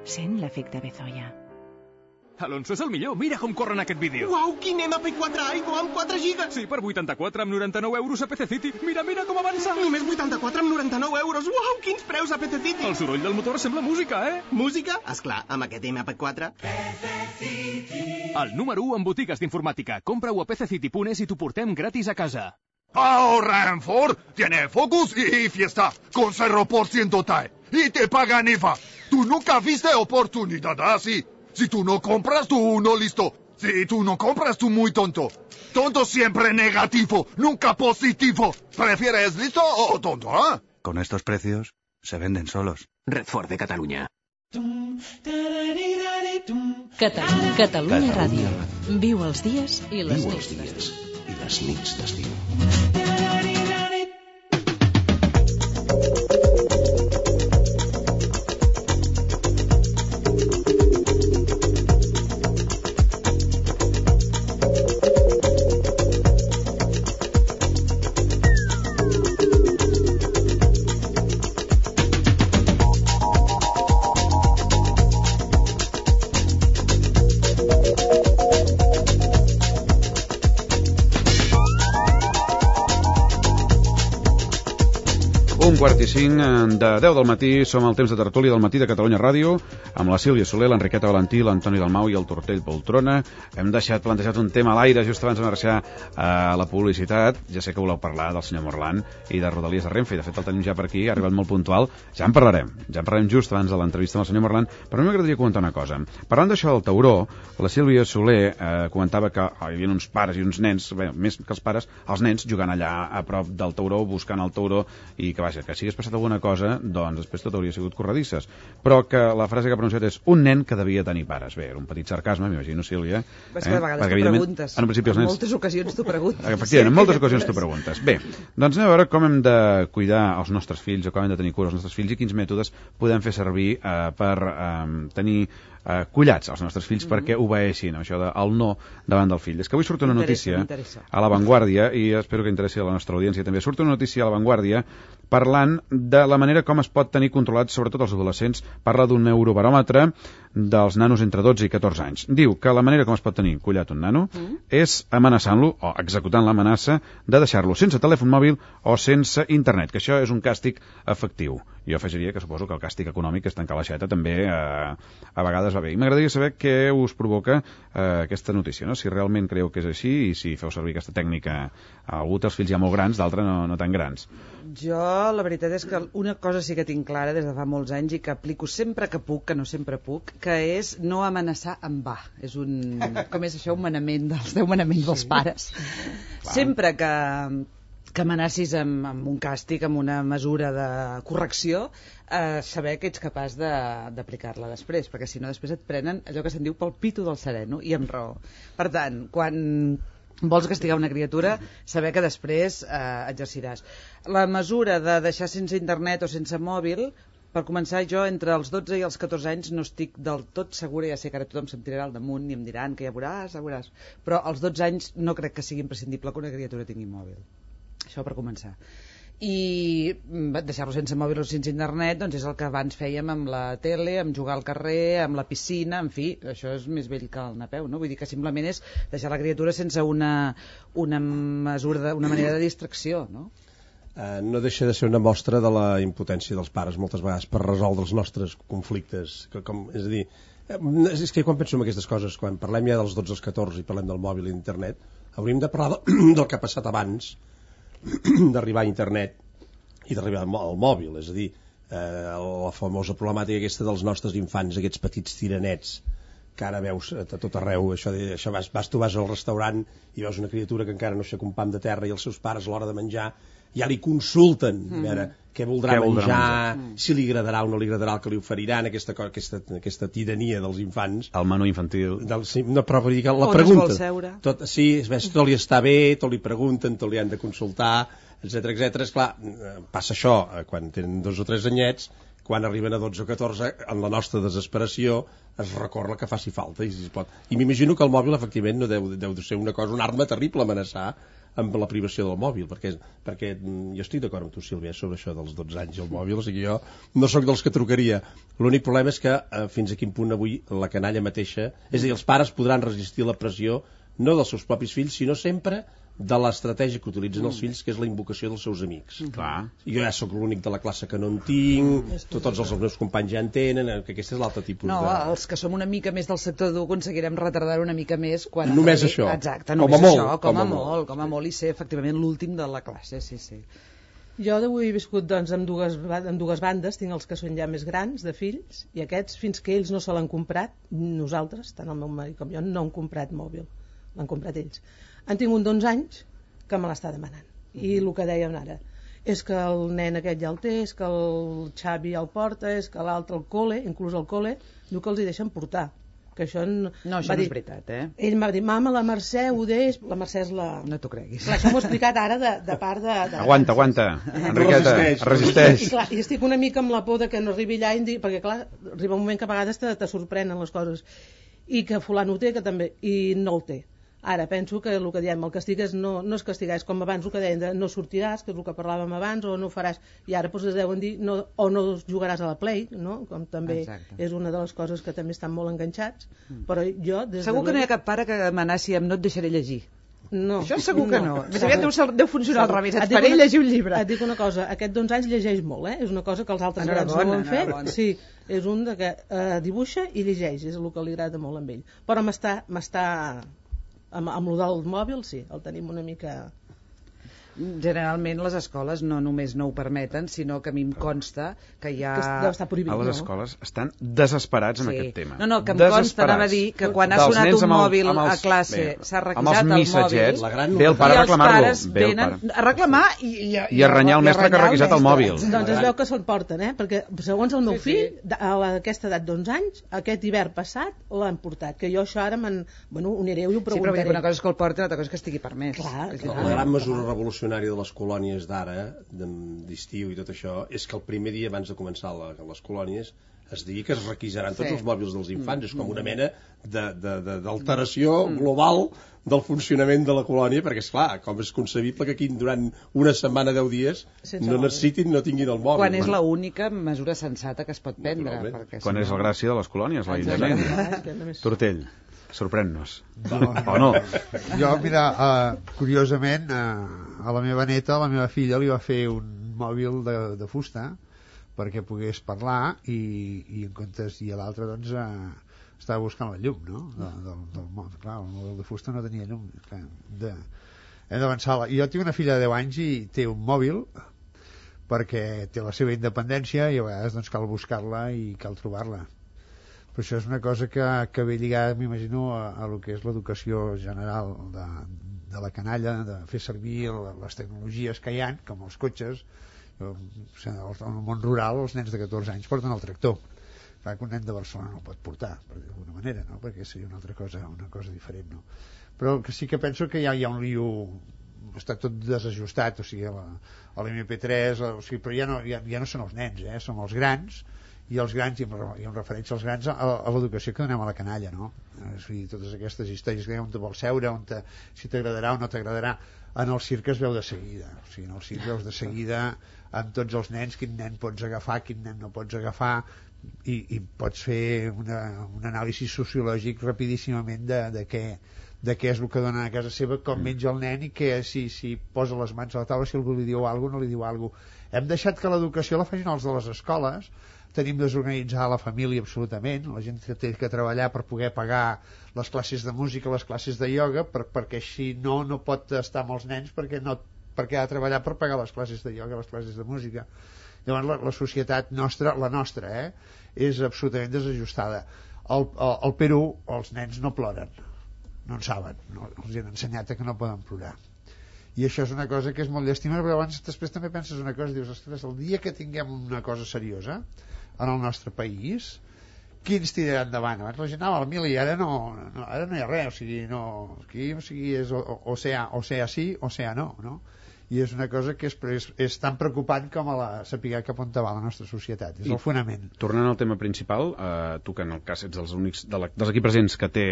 Sent l'efecte Bezoya. Alonso és el millor, mira com corre en aquest vídeo. Uau, quin MP4 Aigo amb 4 gigas. Sí, per 84 amb 99 euros a PC City. Mira com avança. Només 84 amb 99 euros. Uau, quins preus a PC City. El soroll del motor sembla música, eh? Música? Esclar, amb aquest MP4. PC City. El número 1 en botigues d'informàtica. Compra-ho a pccity.es i t'ho portem gratis a casa. Ahora en Ford tiene Focus y Fiesta con 0% TAE y te pagan IVA. Tú nunca viste oportunidad así. Si tú no compras, tú no listo. Si tú no compras, tú muy tonto. Tonto siempre negativo, nunca positivo. ¿Prefieres listo o tonto, ah? Con estos precios, se venden solos. Red Ford de Catalunya. Catalunya Ràdio. Viu els dies i les nits d'estiu. I les nits d'estiu. Quart i 5 de 10 del matí, som al temps de tertúlia del matí de Catalunya Ràdio, amb la Sílvia Soler, l'Enriqueta Valentí, l'Antoni Dalmau i el Tortell Poltrona. Hem deixat plantejat un tema a l'aire just abans de marxar a la publicitat. Ja sé que voleu parlar del senyor Morlan i de Rodalies de Renfe, i de fet el tenim ja per aquí, ha arribat molt puntual. Ja en parlarem just abans de l'entrevista amb el senyor Morlan, però a mi m'agradaria comentar una cosa. Parlant d'això del tauró, la Sílvia Soler comentava que hi havia uns pares i uns nens, bé, més que els pares, els nens jugant allà a prop del tauró, buscant el tauró, i que vaja, que si hagués passat alguna cosa, doncs després tot hauria sigut corredisses. Però que la frase que ha pronunciat és un nen que devia tenir pares. Bé, era un petit sarcasme, m'imagino, Sílvia. És que de vegades t'ho preguntes. En moltes ocasions t'ho preguntes. Efectivament, en moltes ocasions t'ho preguntes. Bé, doncs anem a veure com hem de cuidar els nostres fills o com hem de tenir cura dels nostres fills i quins mètodes podem fer servir per tenir collats als nostres fills perquè obeeixin això del no davant del fill. És que avui surt una notícia a La Vanguardia, i espero que interessi a la nostra audiència també, surt una notícia a La Vanguardia parlant de la manera com es pot tenir controlats sobretot els adolescents. Parla d'un eurobaròmetre dels nanos entre 12 i 14 anys. Diu que la manera com es pot tenir collat un nano és amenaçant-lo o executant l'amenaça de deixar-lo sense telèfon mòbil o sense internet, que això és un càstig efectiu. Jo afegiria que suposo que el càstig econòmic, que és tancar l'aixeta, també a vegades va bé. I m'agradaria saber què us provoca aquesta notícia, no? Si realment creieu que és així i si feu servir aquesta tècnica. Algú té els fills ja molt grans, d'altre no tan grans. Jo, la veritat és que una cosa sí que tinc clara des de fa molts anys i que aplico sempre que puc, que no sempre puc, que és no amenaçar en va. És un... Com és això? Un manament dels 10 manaments dels pares. Sempre que amenacis amb un càstig, amb una mesura de correcció, saber que ets capaç d'aplicar-la després, perquè si no després et prenen allò que se'n diu pel pito del sereno, i amb raó. Per tant, quan vols castigar una criatura, saber que després exerciràs. La mesura de deixar sense internet o sense mòbil, per començar, jo entre els 12 i els 14 anys no estic del tot segura, ja sé que ara tothom se'm tirarà al damunt i em diran que ja veuràs, però als 12 anys no crec que sigui imprescindible que una criatura tingui mòbil. Això per començar. I deixar-lo sense mòbil o sense internet doncs és el que abans fèiem amb la tele, amb jugar al carrer, amb la piscina, en fi, això és més vell que el napeu, no? Vull dir que simplement és deixar la criatura sense una mesura, una manera de distracció, no? No deixa de ser una mostra de la impotència dels pares moltes vegades per resoldre els nostres conflictes. És a dir, és que quan penso en aquestes coses, quan parlem ja dels 12 als 14 i parlem del mòbil i internet, hauríem de parlar del que ha passat abans d'arribar a internet i d'arribar al mòbil, és a dir, la famosa problemàtica aquesta dels nostres infants, aquests petits tiranets que ara veus a tot arreu, això tu vas al restaurant i veus una criatura que encara no aixeca un pam de terra i els seus pares a l'hora de menjar ja li consulten a veure què voldrà menjar, si li agradarà o no li agradarà el que li oferiran, aquesta tirania dels infants. El menú infantil. No, però vull dir que la pregunta. On es vol seure? Tot li està bé, tot li pregunten, tot li han de consultar, etc. Esclar, passa això quan tenen 2 o 3 anyets, quan arriben a 12 o 14, en la nostra desesperació, es recorre el que faci falta. I m'imagino que el mòbil, efectivament, no deu de ser una arma terrible amenaçar amb la privació del mòbil, perquè jo estic d'acord amb tu, Sílvia, sobre això dels 12 anys i el mòbil, o sigui, jo no sóc dels que trucaria. L'únic problema és que fins a quin punt avui la canalla mateixa, és a dir, els pares podran resistir la pressió no dels seus propis fills, sinó sempre de l'estratègia que utilitzen els fills, que és la invocació dels seus amics. Clar. Jo ja sóc l'únic de la classe que no en tinc, tots els meus companys ja en tenen, que aquest és l'altre tipus de... No, els que som una mica més del sector dur aconseguirem retardar una mica més quan... Només això. Exacte, només això, com a molt, i ser efectivament l'últim de la classe, sí. Jo d'avui he viscut doncs, amb dues bandes, tinc els que són ja més grans, de fills, i aquests, fins que ells no se l'han comprat, nosaltres, tant el meu marit com jo, no han comprat mòbil, l'han comprat ells. Han tingut 11 anys que me l'està demanant. I el que dèiem ara, és que el nen aquest ja el té, és que el Xavi ja el porta, és que l'altre al col·le, inclús al col·le, diu que els hi deixen portar. Que això no és veritat, Ell m'ha dit, mama, la Mercè ho deix... La Mercè és la... No t'ho creguis. Clar, això m'ho he explicat ara de part de... Aguanta. Enriqueta, resisteix. I clar, i estic una mica amb la por de que no arribi allà, perquè clar, arriba un moment que a vegades te sorprenen les coses. I que fulano ho té, que també... I no el té. Ara, penso que el que diem, el castig és no és castigar, és com abans el que deien, no sortiràs, que és el que parlàvem abans, o no faràs, i ara doncs es deuen dir, o no jugaràs a la Play, no? Com també és una de les coses que també estan molt enganxats, però jo... Segur que no hi ha cap pare que amenaci amb no et deixaré llegir. No. Això segur que no. Més aviat deu funcionar al revés, et faré llegir un llibre. Et dic una cosa, aquest d'11 anys llegeix molt, És una cosa que els altres grans no ho han fet. Sí, és un que dibuixa i llegeix, és el que li agrada molt amb ell. Però m'està amb el del mòbil, sí, el tenim una mica... Generalment les escoles no només no ho permeten, sinó que a mi em consta que hi ha... Deu estar prohibit, a les escoles estan desesperats amb aquest tema. No, que em consta, anava a dir, que quan ha sonat un mòbil a classe s'ha requisat el mòbil, ve el pare a reclamar-lo. I els pares venen a reclamar i a renyar el mestre que ha requisat el mòbil. Doncs es veu que se'l porten, perquè segons el meu fill, a aquesta edat d'11 anys, aquest hivern passat l'han portat, que jo això ara ho aniré i ho preguntaré. Sí, però una cosa és que el porti, l'altra cosa és que estigui permès. La gran mesura revolucionària de les colònies d'ara, d'estiu i tot això, és que el primer dia abans de començar les colònies es digui que es requisaran tots els mòbils dels infants. És com una mena d'alteració global del funcionament de la colònia, perquè, esclar, com és concebible que aquí durant una setmana, 10 dies, no necessitin, no tinguin el mòbil. Quan és l'única mesura sensata que es pot prendre. Quan és la gràcia de les colònies, l'aïllament. Tortell, sorprèn-nos. O no? Jo, mira, curiosament, a la meva neta, a la meva filla, li va fer un mòbil de fusta perquè pogués parlar i en comptes, i a l'altre, doncs, estava buscant la llum, no? Del món. Clar, el mòbil de fusta no tenia llum. Hem d'avançar. Jo tinc una filla de 10 anys i té un mòbil perquè té la seva independència i a vegades doncs, cal buscar-la i cal trobar-la. Però això és una cosa que ve lligada, m'imagino, a lo que és l'educació general de la canalla, de fer servir les tecnologies que hi ha, com els cotxes. En el món rural els nens de 14 anys porten el tractor. Clar que un nen de Barcelona no el pot portar, per dir d'alguna manera, no? Perquè seria una altra cosa, una cosa diferent, no? Però que sí que penso que hi ha un lío, està tot desajustat, o sigui, l'MP3, o sigui, però ja no són els nens, són els grans, i els grans, i em refereixo als grans a l'educació que donem a la canalla, no? O sigui, totes aquestes històries que on te vols seure, si t'agradarà o no t'agradarà. En el circ es veu de seguida, o sigui, en el circ veus de seguida amb tots els nens, quin nen pots agafar, quin nen no pots agafar, i pots fer un anàlisi sociològic rapidíssimament de què és el que donen a casa seva, com menja el nen i que si posa les mans a la taula, si algú li diu alguna cosa o no li diu alguna cosa. Hem deixat que l'educació la facin els de les escoles, tenim desorganitzada la família absolutament, la gent que té que treballar per poder pagar les classes de música, les classes de ioga, perquè així no pot estar amb els nens perquè ha de treballar per pagar les classes de ioga, les classes de música. Llavors la societat nostra, és absolutament desajustada. Al Perú els nens no ploren, no en saben, els han ensenyat que no poden plorar. I això és una cosa que és molt llàstima, però abans després també penses una cosa, dius, ostres, el dia que tinguem una cosa seriosa en el nostre país, qui ens tirarà endavant? Abans la gent anava al mil i ara no hi ha res, o sigui, és o sea sí o sea no? I és una cosa que és tan preocupant com saber cap on va la nostra societat, és el fonament. Tornant al tema principal, tu que en el cas ets dels únics dels aquí presents que té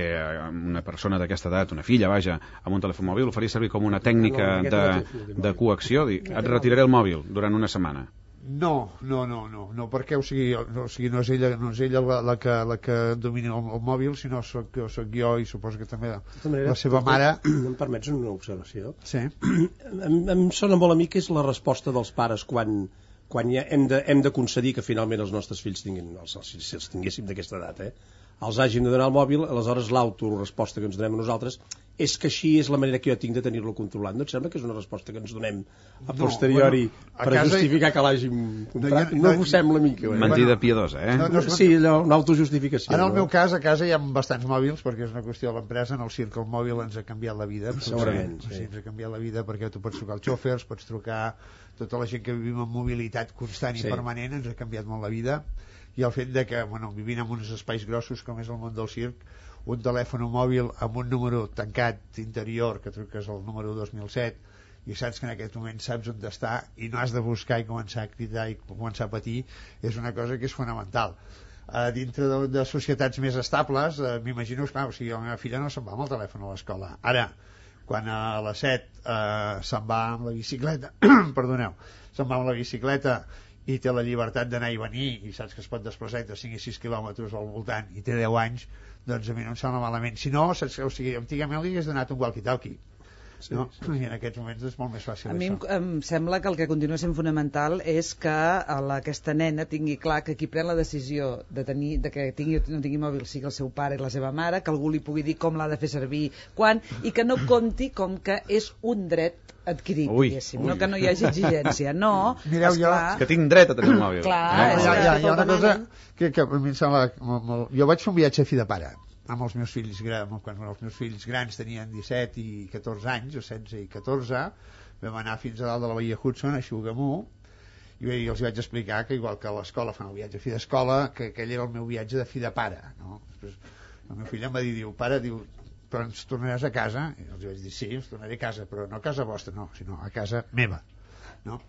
una persona d'aquesta edat, una filla, vaja, amb un telèfon mòbil, ho faria servir com una tècnica de coacció, et retiraré el mòbil durant una setmana. No, perquè no és ella la que domina el mòbil, sinó soc jo i suposo que també la seva mare. Em permets una observació? Sí. Em sona molt a mi que és la resposta dels pares quan ja hem de concedir que finalment els nostres fills tinguin, si els tinguéssim d'aquesta edat, els hagin de donar el mòbil, aleshores l'autoresposta que ens donem a nosaltres és que així és la manera que jo tinc de tenir-lo controlat. No et sembla que és una resposta que ens donem a posteriori per justificar que l'hàgim comprat? No us sembla a mi que... Mentida piadosa, Sí, allò, una autojustificació. En el meu cas, a casa hi ha bastants mòbils, perquè és una qüestió de l'empresa, en el circ el mòbil ens ha canviat la vida. Segurament, sí. Ens ha canviat la vida perquè tu pots trucar als xòfers, pots trucar tota la gent que vivim en mobilitat constant i permanent, ens ha canviat molt la vida. I el fet de que, vivint en uns espais grossos com és el món del circ, un telèfon mòbil amb un número tancat interior, que truques al número 2007 i saps que en aquest moment saps on està i no has de buscar i començar a cridar i començar a patir, és una cosa que és fonamental. Dintre de societats més estables, m'imagino, la meva filla no se'n va amb el telèfon a l'escola. Ara, quan a les 7 se'n va amb la bicicleta, se'n va amb la bicicleta i té la llibertat d'anar i venir i saps que es pot desplaçar entre 5 i 6 quilòmetres al voltant i té 10 anys, doncs a mi no em sembla malament. Si no, antigament li hagués donat un walkie-talkie no? I en aquests moments és molt més fàcil. A mi em sembla que el que continua sent fonamental és que aquesta nena tingui clar que qui pren la decisió de que tingui o no tingui mòbil sigui el seu pare i la seva mare, que algú li pugui dir com l'ha de fer servir, quan, i que no compti com que és un dret adquirit, diguéssim, no que no hi hagi exigència, no. Mireu, que tinc dret a tenir un mòbil. Clar, hi ha una cosa que a mi em sembla molt... Jo vaig fer un viatge a fi de pare amb els meus fills grans, quan els meus fills grans tenien 17 i 14 anys, o 16 i 14, vam anar fins a dalt de la Baia Hudson, a Xugamú, i els vaig explicar que igual que a l'escola fan el viatge a fi d'escola, que aquell era el meu viatge de fi de pare, no? Després, el meu fill em va dir, pare, però ens tornaràs a casa? I els vaig dir, sí, ens tornaré a casa, però no a casa vostra, no, sinó a casa meva, no?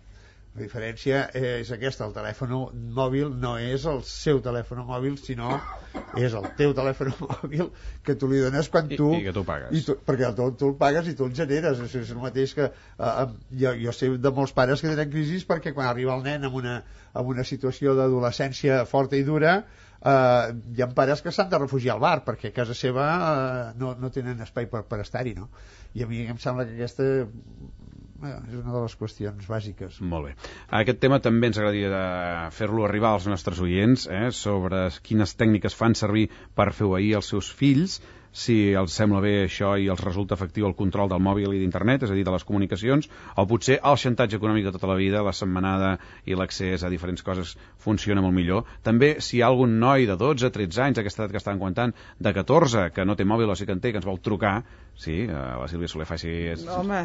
La diferència és aquesta, el telèfon mòbil no és el seu telèfon mòbil, sinó és el teu telèfon mòbil que tu li dones quan tu... I que tu pagues. Perquè tu el pagues i tu el generes. És el mateix que... jo sé de molts pares que tenen crisis perquè quan arriba el nen en una situació d'adolescència forta i dura, hi ha pares que s'han de refugiar al bar perquè a casa seva no tenen espai per estar-hi, no? I a mi em sembla que aquesta... és una de les qüestions bàsiques. Molt bé. Aquest tema també ens agradaria fer-lo arribar als nostres oients, sobre quines tècniques fan servir per fer obeir els seus fills, si els sembla bé això i els resulta efectiu el control del mòbil i d'internet, és a dir, de les comunicacions, o potser el xantatge econòmic de tota la vida, la setmanada i l'accés a diferents coses funciona molt millor. També si hi ha algun noi de 12, 13 anys, aquesta edat que estàvem comentant, de 14, que no té mòbil o sí que en té, que ens vol trucar, sí, la Sílvia Soler faci... Home...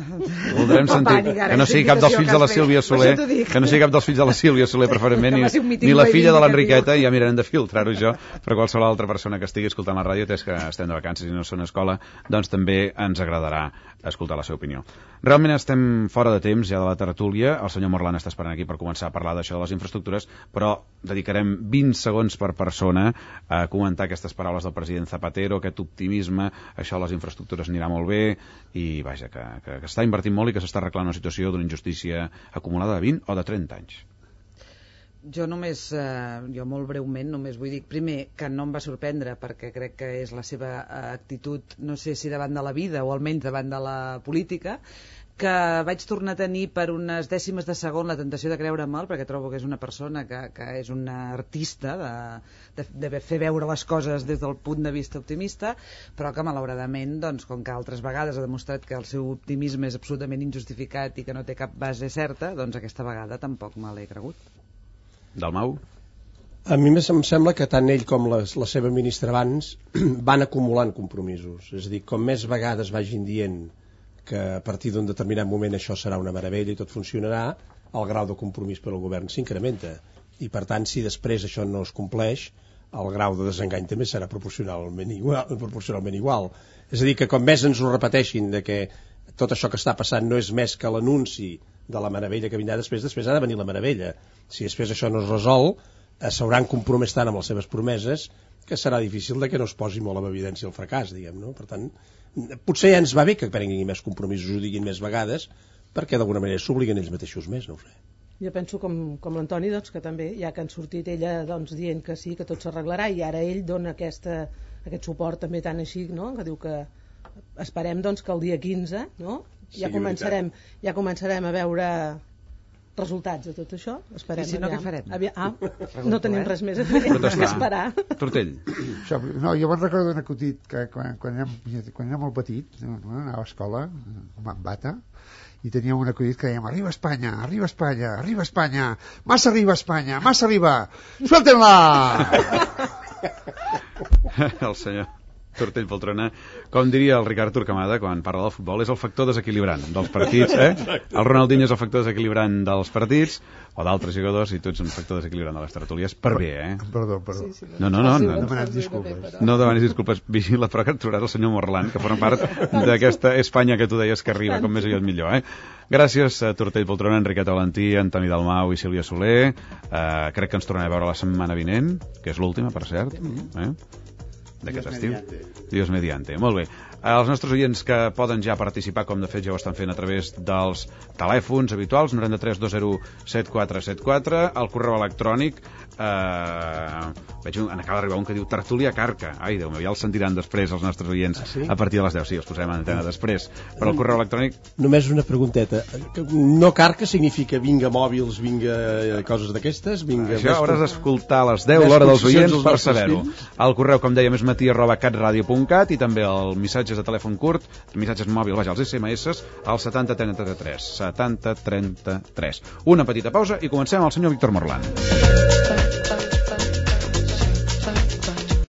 Voldrem sentir que no sigui cap dels fills de la Sílvia Soler, que no sigui cap dels fills de la Sílvia Soler, preferentment, ni la filla de l'Enriqueta, i ja mirarem de filtrar-ho jo, però qualsevol altra persona que estigui escoltant la ràdio, és que estem de vacances i no són a escola, doncs també ens agradarà escoltar la seva opinió. Realment estem fora de temps ja de la tertúlia, el senyor Morlan està esperant aquí per començar a parlar d'això de les infraestructures, però dedicarem 20 segons per persona a comentar aquestes paraules del president Zapatero, aquest optimisme, això de les infraestructures anirà molt bé, i vaja, que està invertint molt i que s'està arreglant una situació d'una injustícia acumulada de 20 o de 30 anys. Jo molt breument, només vull dir, primer, que no em va sorprendre, perquè crec que és la seva actitud, no sé si davant de la vida o almenys davant de la política, que vaig tornar a tenir per unes dècimes de segon la tentació de creure'm-el, perquè trobo que és una persona que és una artista de fer veure les coses des del punt de vista optimista, però que malauradament, doncs, com que altres vegades ha demostrat que el seu optimisme és absolutament injustificat i que no té cap base certa, doncs aquesta vegada tampoc me l'he cregut. Dalmau? A mi em sembla que tant ell com la seva ministra abans van acumulant compromisos. És a dir, com més vegades vagin dient que a partir d'un determinat moment això serà una meravella i tot funcionarà, el grau de compromís per al govern s'incrementa. I per tant, si després això no es compleix, el grau de desengany també serà proporcionalment igual. És a dir, que com més ens ho repeteixin de que tot això que està passant no és més que l'anunci de la meravella que vindrà després ha de venir la meravella. Si després això no es resol, s'hauran compromès tant amb les seves promeses que serà difícil de que no es posi molt en evidència el fracàs, diguem, no? Per tant, potser ja ens va bé que prenguin més compromisos, ho diguin més vegades, perquè d'alguna manera s'obliguen ells mateixos més, no ho sé. Jo penso com l'Antoni, doncs, que també, ja que han sortit ella doncs, dient que sí, que tot s'arreglarà, i ara ell dona aquest suport també tan així, no? Que diu que esperem doncs, que el dia 15, no? Ja començarem a veure resultats de tot això. Esperem. I si no, què farem? No tenim res més a fer que esperar. Tortell. No, jo me'n recordo d'un acudit que quan era molt petit, anava a escola, amb bata, i teníem un acudit que dèiem: arriba Espanya, arriba Espanya, arriba Espanya, massa arriba Espanya, massa arriba, suelten-la! El senyor Tortell Poltrona, com diria el Ricard Turcamada quan parla del futbol, és el factor desequilibrant dels partits, El Ronaldinho és el factor desequilibrant dels partits, o d'altres jugadors, i tu ets un factor desequilibrant de les tertúlies, per bé, Perdó. Sí. No demanis disculpes. No demanis disculpes, vigila, però que et trobaràs el senyor Morlan, que forma part d'aquesta Espanya que tu deies que arriba, com més aviat millor, Gràcies a Tortell Poltrona, Enriqueta Valentí, Antoni Dalmau i Sílvia Soler. Crec que ens tornarem a veure la setmana vinent, que és l'última, per cert, d'aquest estiu. Dios mediante. Molt bé. Els nostres oients que poden ja participar, com de fet ja ho estan fent a través dels telèfons habituals, 93 20 7474, el correu electrònic, veig acaba d'arribar un que diu Tertúlia Carca. Ai, Déu meu, ja els sentiran després els nostres oients a partir de les 10. Sí, els posarem en antena després. Però el correu electrònic... Només una pregunteta. No Carca significa vinga mòbils, vinga coses d'aquestes? Això hauràs d'escoltar a les 10, l'hora dels oients, per saber-ho. El correu, com dèiem, és matí@catradio.cat i també el missatges de telèfon curt, missatges mòbils, vaja, els SMS, al 7033. 7033. Una petita pausa i comencem amb el senyor Víctor Morland.